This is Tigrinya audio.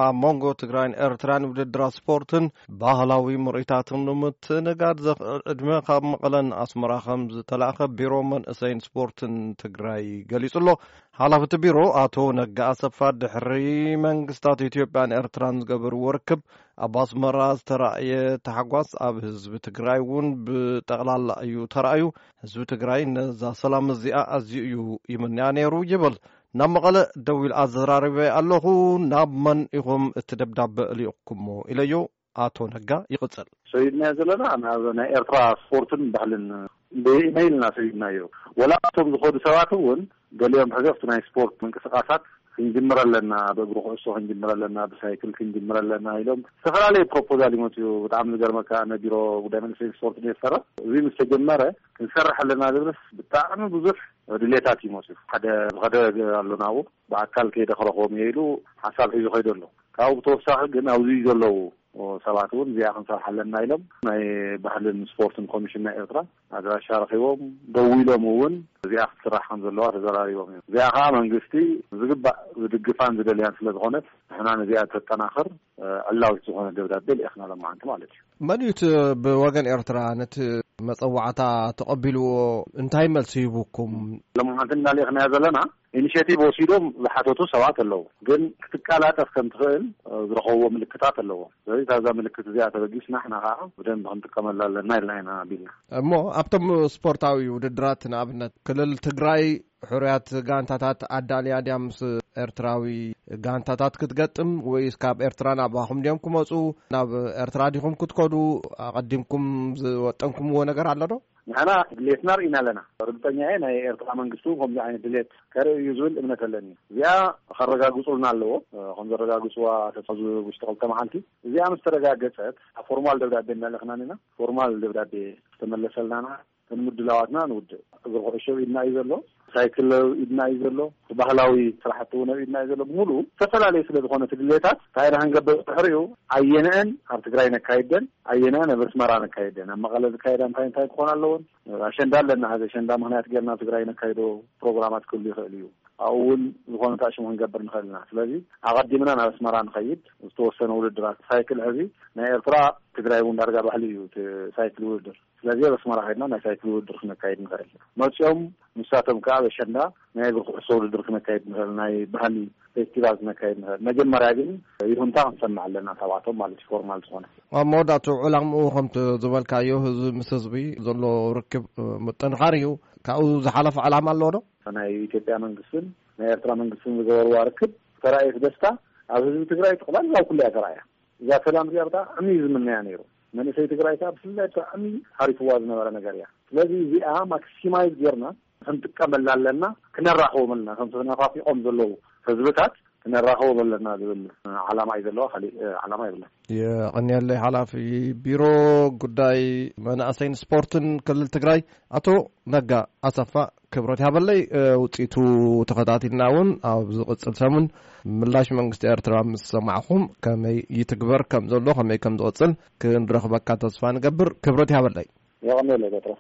ኣብ መንጎ ትግራይን ኤርትራን ውድድራት ስፖርትን ባህላዊ ምርኢታትን ንምትንጋድ ዘኽእል ዕድመ ካብ መቐለን ኣስመራ ከም ዝተላእኸ ቢሮ መንእሰይን ስፖርትን ትግራይ ገሊጹ ኣሎ። ሓላፊ እቲ ቢሮ ኣቶ ነጋ ኣሰፋ፣ ድሕሪ መንግስታት ኢትዮጵያን ኤርትራን ዝገበርዎ ርክብ ኣብ ኣስመራ ዝተራእየ ታሕጓስ ኣብ ህዝቢ ትግራይ እውን ብጠቕላላ እዩ ተራእዩ። ህዝቢ ትግራይ ነዛ ሰላም እዚኣ ኣዝዩ እዩ ይምንያ ነይሩ ይብል። ናብ መቐለ ደዊል ኣዘራሪበ ኣለኹ። ናብ መን ኢኹም እቲ ደብዳበ እልእኩሞ ኢለዮ። ኣቶ ነጋ ይቕጽል። ሰይድና ዘለና ናብ ናይ ኤርትራ ስፖርትን ባህልን ብኢመይል ኢና ሰይድናዮ። ወላ እቶም ዝኸዱ ሰባት እውን ገሊኦም ሕዚ ኣብቲ ናይ ስፖርት ምንቅስቃሳት ክንጅምር ኣለና፣ ብእግሪ ኩዕሶ ክንጅምር ኣለና፣ ብሳይክል ክንጅምር ኣለና ኢሎም ዝተፈላለየ ፕሮፖዛል ይመፅኡ። ብጣዕሚ ዝገርመካ፣ ኣነ ቢሮ ጉዳይ መንእሰይን ስፖርትን እየ ዝሰርሕ። እዚ ምስ ተጀመረ ክንሰርሕ ኣለና ዝብልስ ብጣዕሚ ብዙሕ ድሌታት ይመፅኡ። ሓደ ዝኸደ ኣሎ ናብኡ፣ ብኣካል ከይደ ክረኽቦም እየ ኢሉ ሓሳብ ሒዙ ከይዱ ኣሎ። ካብኡ ብተወሳኺ ግን ኣብዚ ዘለዉ ሰባት እውን እዚኣ ክንሰርሕ ኣለና ኢሎም ናይ ባህልን ስፖርትን ኮሚሽን ናይ ኤርትራ ኣድራሻ ረኺቦም፣ ደዊሎም እውን እዚኣ ክትስራሕ ከም ዘለዋ ተዘራሪቦም እዮም። እዚኣ ከዓ መንግስቲ ዝግባእ ዝድግፋን ዝደልያን ስለ ዝኾነት ንሕና ነዚኣ ተጠናኽር ዕላዊት ዝኾነ ደብዳቤ ልኢኽና ሎማዓንቲ ማለት እዩ። መን እዩ እቲ ብወገን ኤርትራ ነቲ መጸዋዕታ ተቐቢልዎ? እንታይ መልሲ ሂቡኩም? ሎማዓንቲ እናልኢኽናዮ ዘለና ኢኒሼቲቭ ወሲዶም ዝሓተቱ ሰባት ኣለዉ፣ ግን ክትቀላጠፍ ከም ትኽእል ዝረኸብዎ ምልክታት ኣለዎ። ስለዚ ካብዛ ምልክት እዚኣ ተበጊስና ንሕና ከዓ ብደንብ ክንጥቀመላ ኣለና ኢልና ኢና ኣቢልና። እሞ ኣብቶም ስፖርታዊ ውድድራት ንኣብነት ክልል ትግራይ ሕሩያት ጋንታታት ኣዳልያ ድያ ምስ ኤርትራዊ ጋንታታት ክትገጥም፣ ወይስ ካብ ኤርትራ ናባኹም ድዮም ክመጹ? ናብ ኤርትራ ዲኹም ክትከዱ ኣቐዲምኩም ዝወጠንኩምዎ ነገር ኣሎ ዶ? ንሕና ድሌትና ርኢና ኣለና። ርግጸኛ እየ ናይ ኤርትራ መንግስቲ እውን ከምዚ ዓይነት ድሌት ከርኢ እዩ ዝብል እምነት ኣለኒ። እዚኣ ከረጋግጹልና ኣለዎ። ከም ዘረጋግጽዋ ኣብዚ ውሽጢ ክልተ መዓልቲ እዚኣ ምስ ተረጋገጸት ኣብ ፎርማል ደብዳቤ እናለኽና ኢና። ፎርማል ደብዳቤ ዝተመለሰልናና ከም ምድላዋትና ንውድእ። እግሪ ኩዕሾ ኢድና እዩ ዘሎ፣ ሳይክል ኢድና እዩ ዘሎ፣ እቲ ባህላዊ ስራሕቲ እውን ኣብ ኢድና እዩ ዘሎ። ብምሉኡ ዝተፈላለዩ ስለ ዝኾነ እቲ ድሌታት እንታይ ኢና ክንገብር ድሕሪኡ ኣየነአን ኣብ ትግራይ ነካይደን ኣየነአን ኣብ ኣስመራ ነካይደን፣ ኣብ መቐለ ዝካየዳ እንታይ እንታይ ክኾን ኣለዎን። ኣሸንዳ ኣለና፣ ሕዚ ኣሸንዳ ምክንያት ጌርና ኣብ ትግራይ ነካይዶ ፕሮግራማት ክህሉ ይኽእል እዩ። ኣብኡ እውን ዝኾነ ታሽሙ ክንገብር ንኽእል ኢና። ስለዚ ኣቐዲምና ናብ ኣስመራ ንኸይድ፣ ዝተወሰነ ውድድራት ሳይክል ሕዚ ናይ ኤርትራ ትግራይ እውን ዳርጋ ባህሊ እዩ እቲ ሳይክል ውድድር። ስለዚ ኣብ ኣስመራ ከይድና ናይ ሳይክል ውድድር ክነካይድ ንኽእል። መፂኦም ንሳቶም ከዓ ኣብ ኣሸንዳ ናይ እግሪ ኩዕሶ ውድድር ክነካይድ ንኽእል፣ ናይ ባህሊ ፌስቲቫል ክነካይድ ንኽእል። መጀመርያ ግን ይሁንታ ክንሰምዕ ኣለና ካብኣቶም ማለት እዩ፣ ፎርማል ዝኾነ። ኣብ መወዳእቱ ዕላምኡ ከምቲ ዝበልካዮ ህዝቢ ምስ ህዝቢ ዘሎ ርክብ ምጥንኻር እዩ። ካብኡ ዝሓለፈ ዕላማ ኣለዎ ዶ? ናይ ኢትዮጵያ መንግስትን ናይ ኤርትራ መንግስትን ዝገበርዋ ርክብ ተራእየት ደስታ ኣብ ህዝቢ ትግራይ ጠቕላላ ኣብ ኩሉ እያ ተራእያ። እዛ ሰላም እዚኣ ብጣዕሚ እዩ ዝምነያ ነይሩ። መንእሰይ ትግራይ ከዓ ብፍላይ ብጣዕሚ ሓሪፍዋ ዝነበረ ነገር እያ። ስለዚ እዚኣ ማክሲማይዝ ጌርና ክንጥቀመላ ኣለና፣ ክነራኽቦም ኣለና። ከምቲ ተነፋፊቖም ዘለዉ ህዝብታት ክነራኽቦም ኣለና ዝብል ዓላማ እዩ ዘለዋ፣ ካሊእ ዓላማ የብለን። የቐንየለይ ሓላፊ ቢሮ ጉዳይ መናእሰይን ስፖርትን ክልል ትግራይ ኣቶ ነጋ ኣሰፋ ክብረት ያበለይ። ውፅኢቱ ተኸታቲልና እውን ኣብ ዝቕፅል ሰሙን ምላሽ መንግስቲ ኤርትራ ምስ ሰማዕኹም ከመይ ይትግበር ከም ዘሎ ከመይ ከም ዝቕፅል ክንረኽበካ ተስፋ ንገብር። ክብረት ያበለይ። የቐንየለይ በጥረ።